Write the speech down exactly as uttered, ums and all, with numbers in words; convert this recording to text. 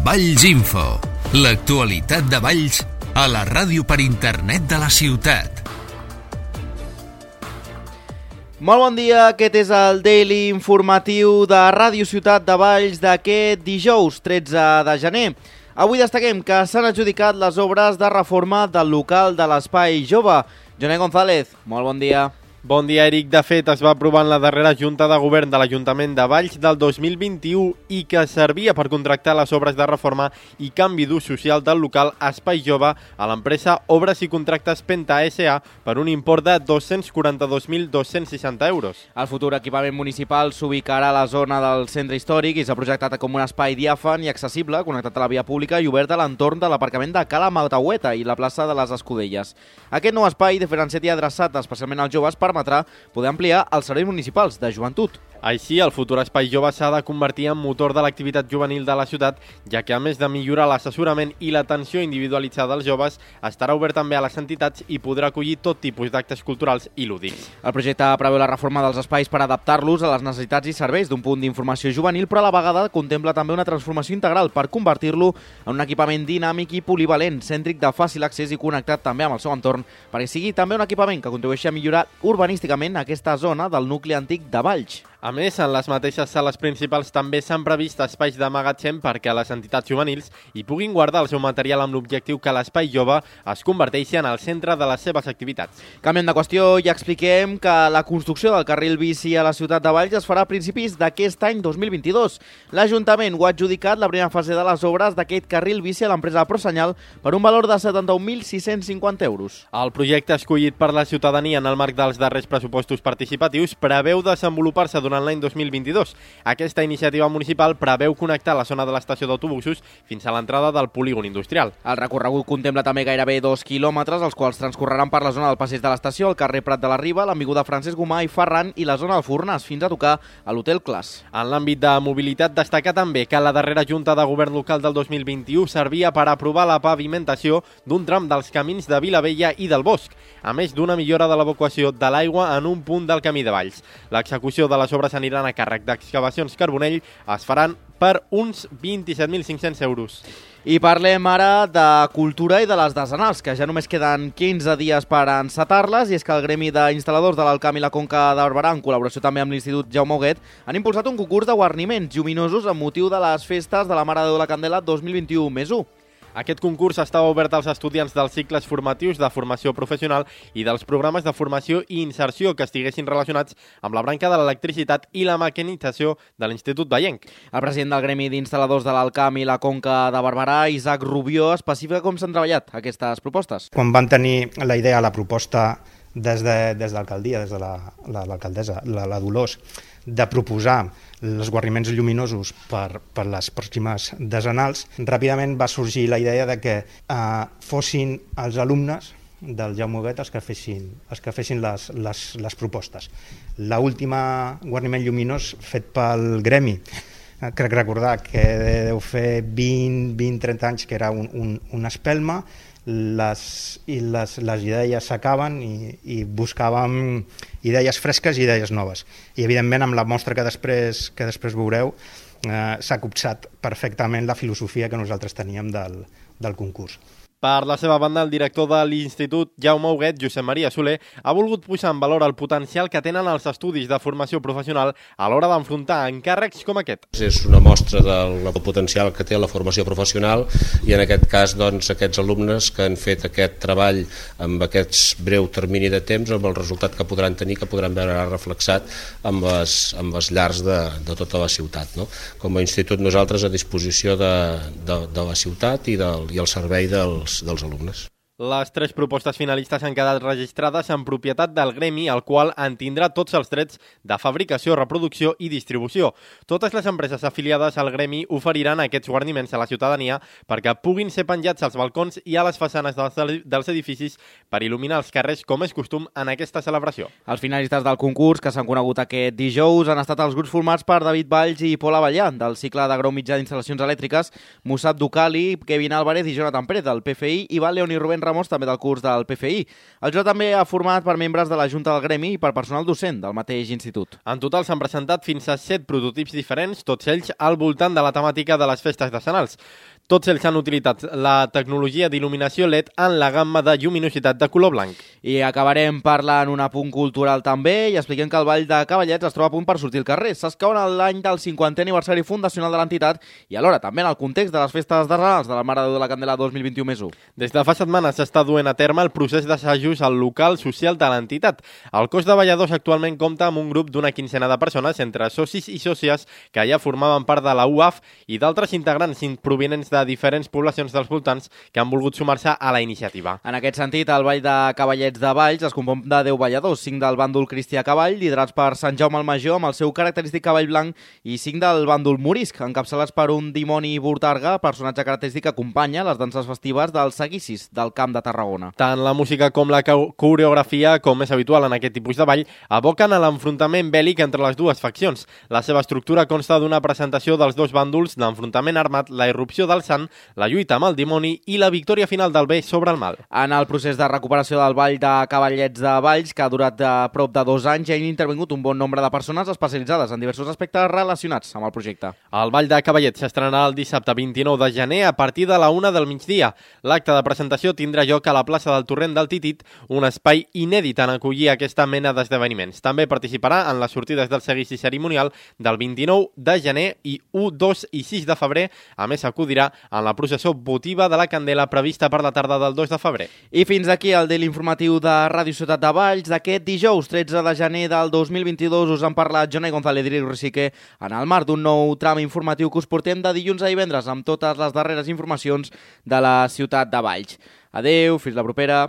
Valls Info, l'actualitat de Valls a la ràdio per internet de la ciutat. Molt bon dia, aquest és el Daily Informatiu de Ràdio Ciutat de Valls d'aquest dijous tretze de gener. Avui destaquem que s'han adjudicat les obres de reforma del local de l'Espai Jove. Joné González, molt bon dia. Bon dia, Eric. De fet, es va aprovar en la darrera Junta de Govern de l'Ajuntament de Valls del dos mil vint-i-u i que servia per contractar les obres de reforma i canvi d'ús social del local Espai Jove a l'empresa Obres i Contractes Penta S A per un import de dos-cents quaranta-dos mil dos-cents seixanta euros. El futur equipament municipal s'ubicarà a la zona del centre històric i s'ha projectat com un espai diàfan i accessible, connectat a la via pública i obert a l'entorn de l'aparcament de Cala Mataueta i la plaça de les Escudelles. Aquest nou espai, diferenciat i adreçat especialment als joves, permetrà poder ampliar els serveis municipals de joventut. Així, el futur Espai Jove s'ha de convertir en motor de l'activitat juvenil de la ciutat, ja que a més de millorar l'assessorament i l'atenció individualitzada als joves, estarà obert també a les entitats i podrà acollir tot tipus d'actes culturals i lúdics. El projecte preveu la reforma dels espais per adaptar-los a les necessitats i serveis d'un punt d'informació juvenil, però a la vegada contempla també una transformació integral per convertir-lo en un equipament dinàmic i polivalent, cèntric de fàcil accés i connectat també amb el seu entorn, perquè sigui també un equipament que contribueixi a millorar urbanísticament aquesta zona del nucli antic de Valls. A més, en les mateixes sales principals també s'han previst espais de magatzem perquè les entitats juvenils hi puguin guardar el seu material amb l'objectiu que l'Espai Jove es converteixi en el centre de les seves activitats. Canviem de qüestió i expliquem que la construcció del carril bici a la ciutat de Valls es farà a principis d'aquest any dos mil vint-i-dos. L'Ajuntament ho ha adjudicat la primera fase de les obres d'aquest carril bici a l'empresa Prosenyal per un valor de setanta-un mil sis-cents cinquanta euros. El projecte escollit per la ciutadania en el marc dels darrers pressupostos participatius preveu desenvolupar-se durant l'any dos mil vint-i-dos. Aquesta iniciativa municipal preveu connectar la zona de l'estació d'autobusos fins a l'entrada del polígon industrial. El recorregut contempla també gairebé dos quilòmetres, els quals transcorreran per la zona del passeig de l'estació, el carrer Prat de la Riba, l'avinguda Francesc Gomà i Ferran i la zona del Fornàs, fins a tocar a l'Hotel Clas. En l'àmbit de mobilitat, destaca també que la darrera Junta de Govern local del dos mil vint-i-u servia per aprovar la pavimentació d'un tram dels camins de Vilavella i del Bosc, a més d'una millora de l'evacuació de l'aigua en un punt del camí de Valls. L'execució de les obres aniran a càrrec d'Excavacions Carbonell, es faran per uns vint-i-set mil cinc-cents euros. I parlem ara de cultura i de les decenals, que ja només queden quinze dies per encetar-les, i és que el Gremi d'Instal·ladors de l'Alt Camp i la Conca de Barberà, en col·laboració també amb l'Institut Jaume Huguet, han impulsat un concurs de guarniments lluminosos amb motiu de les festes de la Mare de Déu de la Candela dos mil vint-i-u més u. Aquest concurs estava obert als estudiants dels cicles formatius de formació professional i dels programes de formació i inserció que estiguessin relacionats amb la branca de l'electricitat i la mecanització de l'Institut Vallenc. El president del Gremi d'Instal·ladors de l'Alt Camp i la Conca de Barberà, Isaac Rubió, especifica com s'han treballat aquestes propostes. Quan van tenir la idea, la proposta des de, des de l'alcaldia, des de l'alcaldessa, la, la, la Dolors, de proposar els guarniments lluminosos per, per les pròximes decenals, ràpidament va sorgir la idea de que eh, fossin els alumnes del Jaume Huguet els que fessin, els que fessin les, les, les propostes. L'última guarniment lluminós fet pel Gremi, eh, crec recordar que deu fer vint a trenta anys que era un, un, una espelma, les, i les, les idees s'acaben i, i buscàvem idees fresques i idees noves. I evidentment amb la mostra que després, que després veureu eh, s'ha copsat perfectament la filosofia que nosaltres teníem del, del concurs. Per la seva banda, el director de l'Institut Jaume Huguet, Josep Maria Soler, ha volgut posar en valor el potencial que tenen els estudis de formació professional a l'hora d'enfrontar encàrrecs com aquest. És una mostra del potencial que té la formació professional i en aquest cas doncs, aquests alumnes que han fet aquest treball amb aquest breu termini de temps, amb el resultat que podran tenir, que podran veure reflexat amb les, amb les llars de, de tota la ciutat. No? Com a institut nosaltres a disposició de, de, de la ciutat i, del, i el servei dels dels alumnes. Les tres propostes finalistes han quedat registrades en propietat del Gremi, el qual en tindrà tots els drets de fabricació, reproducció i distribució. Totes les empreses afiliades al Gremi oferiran aquests guarniments a la ciutadania perquè puguin ser penjats als balcons i a les façanes dels edificis per il·luminar els carrers, com és costum en aquesta celebració. Els finalistes del concurs, que s'han conegut aquest dijous, han estat els grups formats per David Valls i Pol Avellà, del cicle de grau mitjà d'instal·lacions elèctriques, Musab Ducali, Kevin Álvarez i Jonathan Pérez, del P F I, i Val León i Rubén Ramos, també del curs del P F I. El jurat també ha format per membres de la Junta del Gremi i per personal docent del mateix institut. En total s'han presentat fins a set prototips diferents, tots ells al voltant de la temàtica de les festes decenals. Tots ells han utilitzat la tecnologia d'il·luminació L E D en la gamma de lluminositat de color blanc. I acabarem parlant un apunt cultural també i expliquem que el Ball de Cavallets es troba a punt per sortir al carrer. S'escau en l'any del cinquantè aniversari fundacional de l'entitat i alhora també en el context de les festes d'Arrels de la Mare de Déu de la Candela dos mil vint-i-u més u. Des de fa setmanes s'està duent a terme el procés d'assajos al local social de l'entitat. El cos de balladors actualment compta amb un grup d'una quincena de persones entre socis i sòcies que ja formaven part de la U A F i d'altres integrants provinents de diferents poblacions dels voltants que han volgut sumar-se a la iniciativa. En aquest sentit, el Ball de Cavallets de Valls es compon de deu balladors, cinc del bàndol Cristià Cavall, liderats per Sant Jaume el Major amb el seu característic cavall blanc, i cinc del bàndol Morisc, encapçalats per un dimoni Burtarga, personatge característic que acompanya les danses festives dels seguicis del Camp de Tarragona. Tant la música com la coreografia, com és habitual en aquest tipus de ball, aboquen a l'enfrontament bèl·lic entre les dues faccions. La seva estructura consta d'una presentació dels dos bàndols, l'enfrontament armat, la irrupció del sant, la lluita amb el dimoni i la victòria final del bé sobre el mal. En el procés de recuperació del Ball de Cavallets de Valls, que ha durat de prop de dos anys, ja han intervingut un bon nombre de persones especialitzades en diversos aspectes relacionats amb el projecte. El Ball de Cavallets s'estrenarà el dissabte vint-i-nou de gener a partir de la una del migdia. L'acte de presentació tindrà lloc a la plaça del Torrent del Titit, un espai inèdit en acollir aquesta mena d'esdeveniments. També participarà en les sortides del seguici cerimonial del vint-i-nou de gener i u, dos i sis de febrer. A més, acudirà en la processó votiva de la Candela prevista per la tarda del dos de febrer. I fins aquí el Daily Informatiu de Ràdio Ciutat de Valls d'aquest dijous tretze de gener del dos mil vint-i-dos. Us han parlat Jonai González i Rosique en el marc d'un nou tram informatiu que us portem de dilluns a divendres amb totes les darreres informacions de la ciutat de Valls. Adeu, fins la propera.